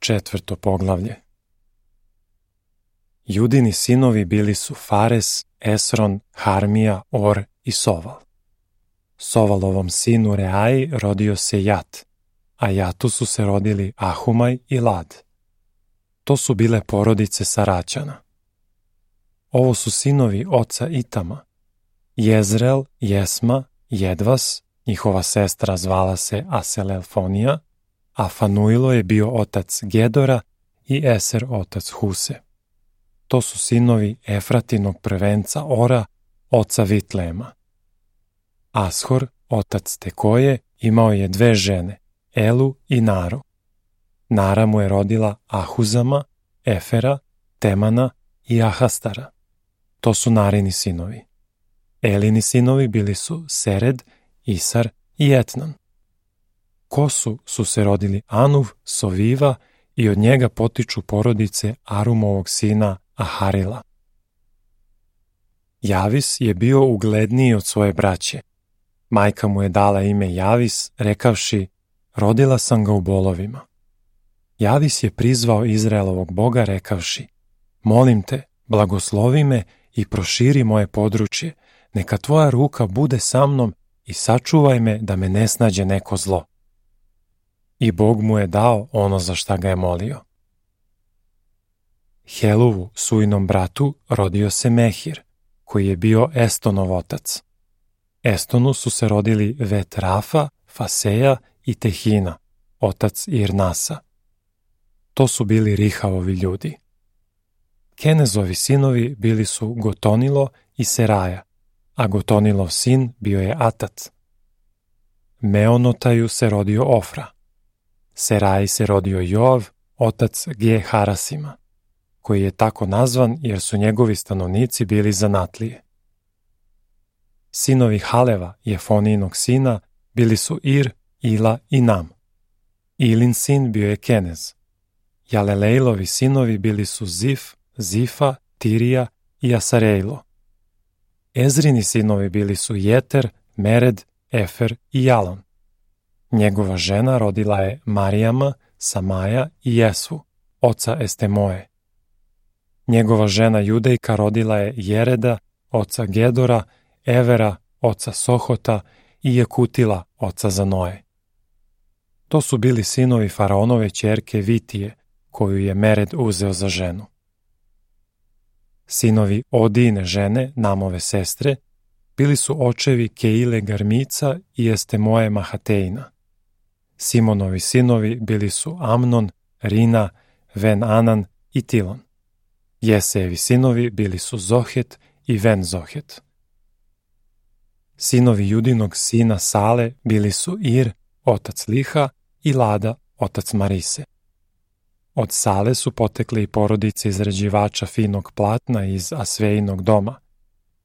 4. poglavlje. Judini sinovi bili su Fares, Esron, Harmija, Or i Soval. Sovalovom sinu Reaji rodio se Jat, a Jatu su se rodili Ahumaj i Lad. To su bile porodice Saraćana. Ovo su sinovi oca Itama: Jezreel, Jesma, Jedvas, njihova sestra zvala se Aselelfonija, a Fanuilo je bio otac Gedora i Eser otac Huse. To su sinovi Efratinog prvenca Ora, oca Vitlema. Ashor, otac Tekoje, imao je 2 žene, Elu i Naru. Nara mu je rodila Ahuzama, Efera, Temana i Ahastara. To su Narini sinovi. Elini sinovi bili su Sered, Isar i Etnan. Kosu su se rodili Anuv, Soviva i od njega potiču porodice Arumovog sina Aharila. Javis je bio ugledniji od svoje braće. Majka mu je dala ime Javis, rekavši: rodila sam ga u bolovima. Javis je prizvao Izraelovog Boga, rekavši: molim te, blagoslovi me i proširi moje područje, neka tvoja ruka bude sa mnom i sačuvaj me da me ne snađe neko zlo. I Bog mu je dao ono za šta ga je molio. Heluvu, Sujinom bratu, rodio se Mehir, koji je bio Estonov otac. Estonu su se rodili Vetrafa, Faseja i Tehina, otac Irnasa. To su bili Rihavovi ljudi. Kenezovi sinovi bili su Gotonilo i Seraja, a Gotonilov sin bio je Atat. Meonotaju se rodio Ofra. Seraji se rodio Joav, otac Ge-Harasima, koji je tako nazvan jer su njegovi stanovnici bili zanatlije. Sinovi Haleva, Jefonijinog sina, bili su Ir, Ila i Nam. Ilin sin bio je Kenez. Jalelejlovi sinovi bili su Zif, Zifa, Tirija i Asarejlo. Ezrini sinovi bili su Jeter, Mered, Efer i Jalon. Njegova žena rodila je Marijama, Samaja i Jesvu, oca Estemoje. Njegova žena Judejka rodila je Jereda, oca Gedora, Evera, oca Sohota i Jekutila, oca Zanoje. To su bili sinovi faraonove ćerke Vitije, koju je Mered uzeo za ženu. Sinovi Odine žene, Namove sestre, bili su očevi Keile Garmica i Estemoje Mahateina. Simonovi sinovi bili su Amnon, Rina, Ven-Anan i Tilon. Jesejevi sinovi bili su Zohet i Ven-Zohet. Sinovi Judinog sina Sale bili su Ir, otac Liha, i Lada, otac Marise. Od Sale su potekli i porodice izrađivača finog platna iz Asvejinog doma,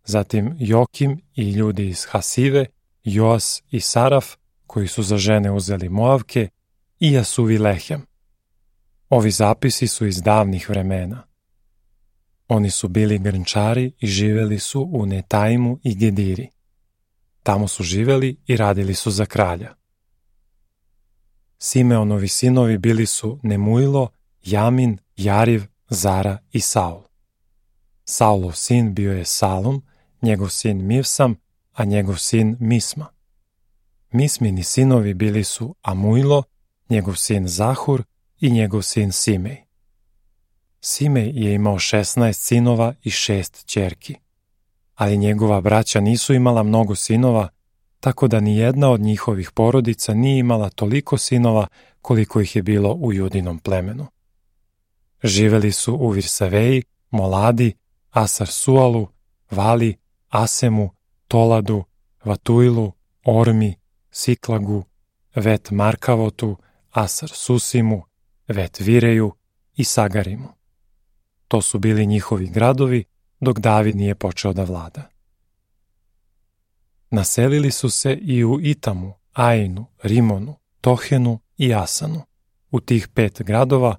zatim Jokim i ljudi iz Hasive, Joas i Saraf, koji su za žene uzeli Moavke, i Jasuvi Lehem. Ovi zapisi su iz davnih vremena. Oni su bili grnčari i živeli su u Netaimu i Gediri. Tamo su živeli i radili su za kralja. Simeonovi sinovi bili su Nemuilo, Jamin, Jariv, Zara i Saul. Saulov sin bio je Salum, njegov sin Mivsam, a njegov sin Misma. Mismini sinovi bili su Amuilo, njegov sin Zahur i njegov sin Simej. Simej je imao 16 sinova i 6 ćerki, ali njegova braća nisu imala mnogo sinova, tako da ni jedna od njihovih porodica nije imala toliko sinova koliko ih je bilo u Judinom plemenu. Živeli su u Virsaveji, Moladi, Asar-Sualu, Vali, Asemu, Toladu, Vatuilu, Ormi, Siklagu, Vet-Markavotu, Asar-Susimu, Vet-Vireju i Sagarimu. To su bili njihovi gradovi dok David nije počeo da vlada. Naselili su se i u Itamu, Ainu, Rimonu, Tohenu i Asanu, u tih 5 gradova,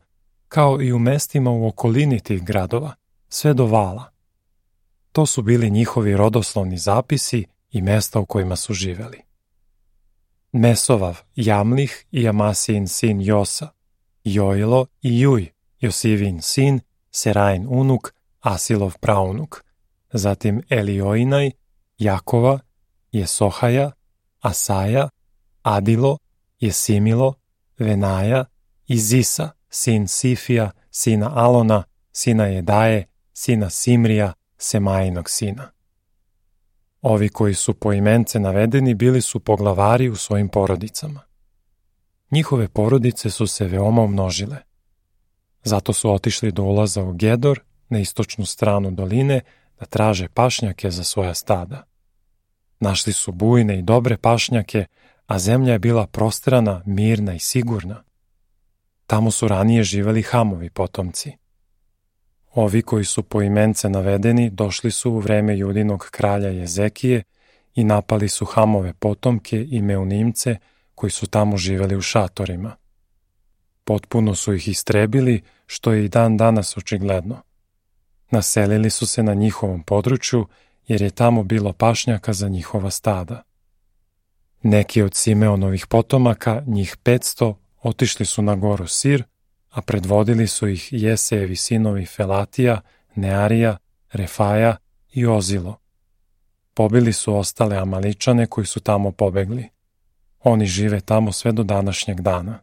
kao i u mestima u okolini tih gradova, sve do Vala. To su bili njihovi rodoslovni zapisi i mesta u kojima su živeli. Mesovav, Jamlih i Amasijin sin Josa, Joilo i Juj, Josivin sin, Serain unuk, Asilov praunuk, zatim Elioinaj, Jakova, Jesohaja, Asaja, Adilo, Jesimilo, Venaja i Zisa, sin Sifija, sina Alona, sina Jedaje, sina Simrija, Semajinog sina. Ovi koji su poimence navedeni bili su poglavari u svojim porodicama. Njihove porodice su se veoma umnožile. Zato su otišli do ulaza u Gedor, na istočnu stranu doline, da traže pašnjake za svoja stada. Našli su bujne i dobre pašnjake, a zemlja je bila prostrana, mirna i sigurna. Tamo su ranije živeli Hamovi potomci. Ovi koji su poimence navedeni došli su u vreme Judinog kralja Jezekije i napali su Hamove potomke i Meunimce koji su tamo živeli u šatorima. Potpuno su ih istrebili, što je i dan danas očigledno. Naselili su se na njihovom području, jer je tamo bilo pašnjaka za njihova stada. Neki od Simeonovih potomaka, njih 500, otišli su na goru Sir, a predvodili su ih Jesejevi sinovi Felatija, Nearija, Refaja i Ozilo. Pobili su ostale Amaličane koji su tamo pobegli. Oni žive tamo sve do današnjeg dana.